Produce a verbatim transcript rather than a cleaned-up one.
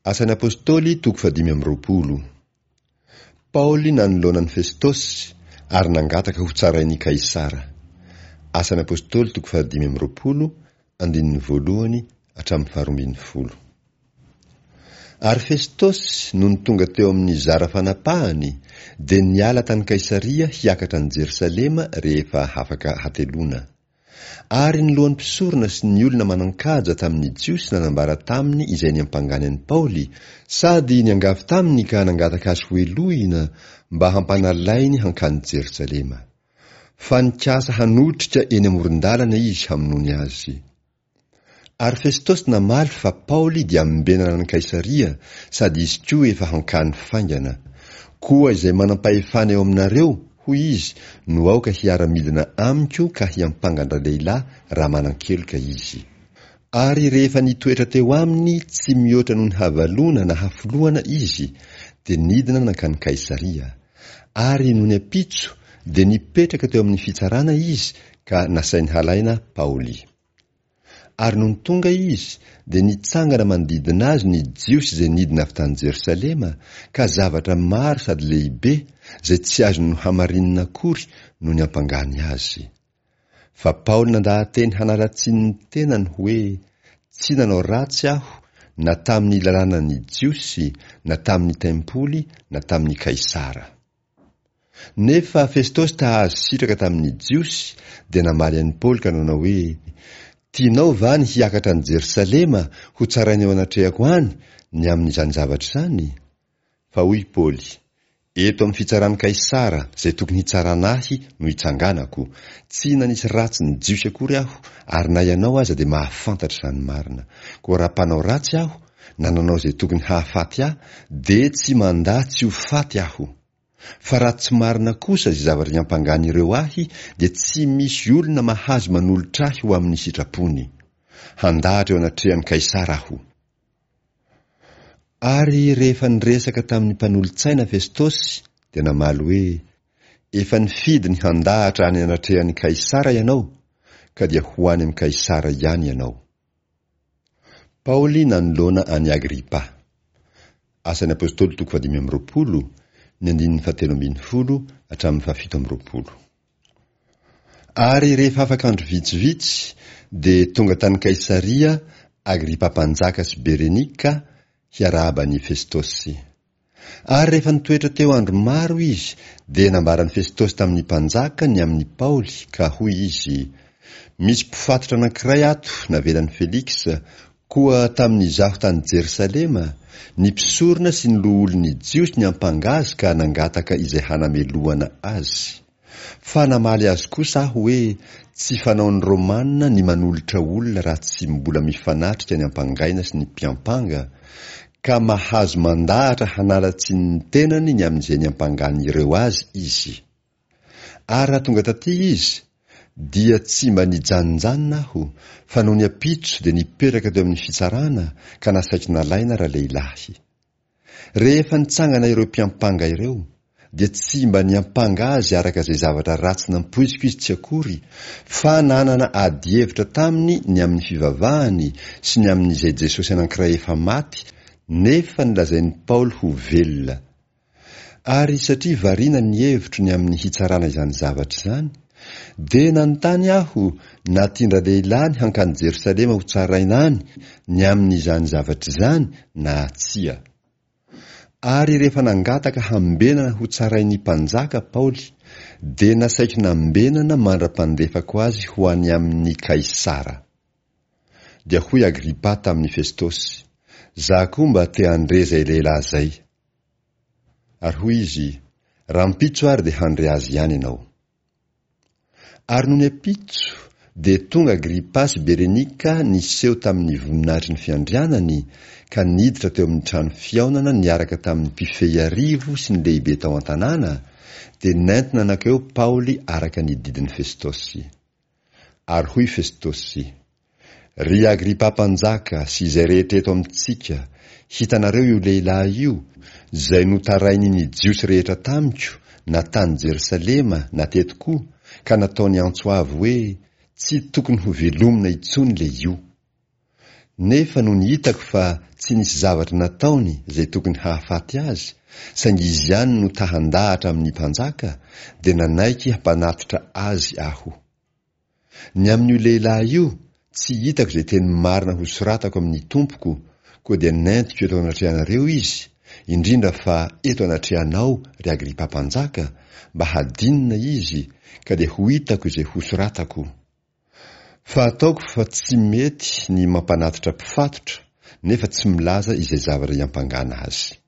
Asan'ny Apostoly toko fahadimy amby roapolo. Paoly nanoloana an'i Festosy ary nangataka ho tsarain'i Kaisara. Asan'ny Apostoly toko fahadimy amby roapolo, andininy voalohany hatramin'ny faharoa ambin'ny folo. Ary Festosy nony tonga teo amin'ny zara fanapahany dia niala tany Kaisaria hiakatra any Jerosalema rehefa hafaka hateloana. Ary ny lohan'ny mpisorona sy ny olona manan-kaja tamin'ny Jiosy nanambara taminy izay niampangany an'i Paoly, sady niangavy taminy ka nangataka azy hohelohina mba hampanalainy hankany Jerosalema. Fa nikasa hanotrika eny amoron-dalana izy hamonoany azy. Ary Festosy namaly fa Paoly dia ambenana any Kaisaria, sady izy koa efa hankany faingana. Koa izay manam-pahefana eo aminareo, hoy izy, no aoka hiara-midina amiko ka hiampanga an-dralehilahy raha manan-keloka izy. Ary rehefa nitoetra teo aminy tsy mihoatra noho ny havaloana na hafoloana izy, dia nidina nankany Kaisaria. Ary nony ampitso dia nipetraka teo amin'ny fitsarana izy ka nasainy halaina Paoly. Ary nony tonga izy, dia nitsangana manodidina azy ny Jiosy izay nidina avy tany Jerosalema, ka zavatra maro sady lehibe, izay tsy azony nohamarinina akory no niampangany azy. Fa Paoly nandaha-teny hanala tsiny ny tenany hoe, Tsy nanao ratsy aho, na tamin'ny lalànan'ny Jiosy, na tamin'ny tempoly, na tamin'i Kaisara. Nefa Festosy ta-hahazo sitraka tamin'ny Jiosy, dia namaly an'i Paoly ka nanao hoe, Tianao va ny hiakatra any Jerosalema hotsaraina eo anatrehako any ny amin'izany zavatra izany? Fa hoy Paoly, Eto amin'ny fitsaran'i Kaisara, izay tokony hitsarana ahy, no itsanganako. Tsy nanisy ratsy ny Jiosy akory aho, ary na ianao aza dia mahafantatra izany marina. Koa raha mpanao ratsy aho, na nanao izay tokony hahafaty ahy, dia tsy mandà tsy ho faty aho. Fa raha tsy marina kosa izay zavatra iampangan'ireo ahy dia tsy misy olona mahazo manolotra ahy ho amin'ny sitrapony. Handahatra eo anatrehan'i Kaisara aho. Ary rehefa niresaka tamin'ny mpanolo-tsaina Festosy dia namaly hoe, Efa nifidy ny handahatra any anatrehan'i Kaisara ianao, ka dia ho any amin'i Kaisara ihany ianao. Paoly nanoloana an'i Agripa. Asan'ny Apostoly toko fahadimy amby roapolo, ny andininy fahatelo ambin'ny folo hatramin'ny fahafito amby roapolo. Ary rehefa afaka andro vitsivitsy, dia tonga tany Kaisaria Agripa mpanjaka sy Berenika hiarahaba an'i Festosy. Ary rehefa nitoetra teo andro maro izy, dia nambaran'i Festosy tamin'ny mpanjaka ny amin'i Paoly, ka hoy izy, Misy mpifatotra anankiray ato navelan'i Feliksa, koa tamin'izaho tany Jerosalema, ny mpisorona sy ny loholon'ny Jiosy niampanga azy ka nangataka izay hanamelohana azy. Fa namaly azy kosa aho hoe tsy fanaon'ny Romana ny manolotra olona raha tsy mbola mifanatrika ny ampangaina sy ny mpiampanga, ka mahazo mandahatra hanala tsiny ny tenany ny amin'izay niampangan'ireo azy izy. Ary raha tonga taty izy, dia tsy mba nijanonjanona aho, fa nony ampitso dia nipetraka teo amin'ny fitsarana ka nasaiko nalaina ralehilahy. Rehefa nitsangana ireo mpiampanga ireo, dia tsy mba niampanga azy araka izay zavatra ratsy nampoiziko izy tsy akory, fa nanana adihevitra taminy ny amin'ny fivavahany sy ny amin'izay Jesosy anankiray efa maty nefa nolazain'i Paoly ho velona. Ary satria variana ny hevitro ny amin'ny hitsarana izany zavatra izany, dia nanontany aho na tian-dralehilahy ny hankany Jerosalema hotsaraina any ny amin'izany zavatra izany na tsia. Ary rehefa nangataka hambenana hotsarain'ny mpanjaka Paoly, dia nasaiko nambenana mandra-pandefako azy ho any amin'i Kaisara. Dia hoy Agripa tamin'i Festosy, Za koa mba te handre izay lehilahy izay. Ary hoy izy, Rahampitso ary dia handre azy ihany ianao. Ary nony ampitso, dia tonga Agripa sy Berenika niseho tamin'ny voninahitry ny fiandrianany ka niditra teo amin'ny trano fihaonana niaraka tamin'ny mpifehy arivo sy ny lehibe tao an-tanàna, dia nentina nankeo Paoly araka ny didin'i Festosy. Ary hoy Festosy, Ry Agripa mpanjaka sy izay rehetra eto amintsika, hitanareo io lehilahy io, izay notarainin' ny Jiosy rehetra tamiko, na tany Jerosalema na teto koa, ka nataony antso avo hoe, Tsy tokony hovelomina intsony ilay io. Nefa nony hitako fa tsy nisy zavatra nataony izay tokony hahafaty azy, saingy izy ihany no ta-handahatra amin'ny mpanjaka, dia nanaiky hampanatitra azy aho. Ny amin'io lehilahy io, tsy hitako izay teny marina hosoratako amin'ny tompoko, koa dia nentiko eto anatrehanareo izy, indrindra fa eto anatrehanao, ry Agripa mpanjaka, mba hadinina izy, ka dia ho hitako izay hosoratako. Fa ataoko fa tsy mety ny mampanatitra mpifatotra, nefa tsy milaza izay zavatra iampangana azy.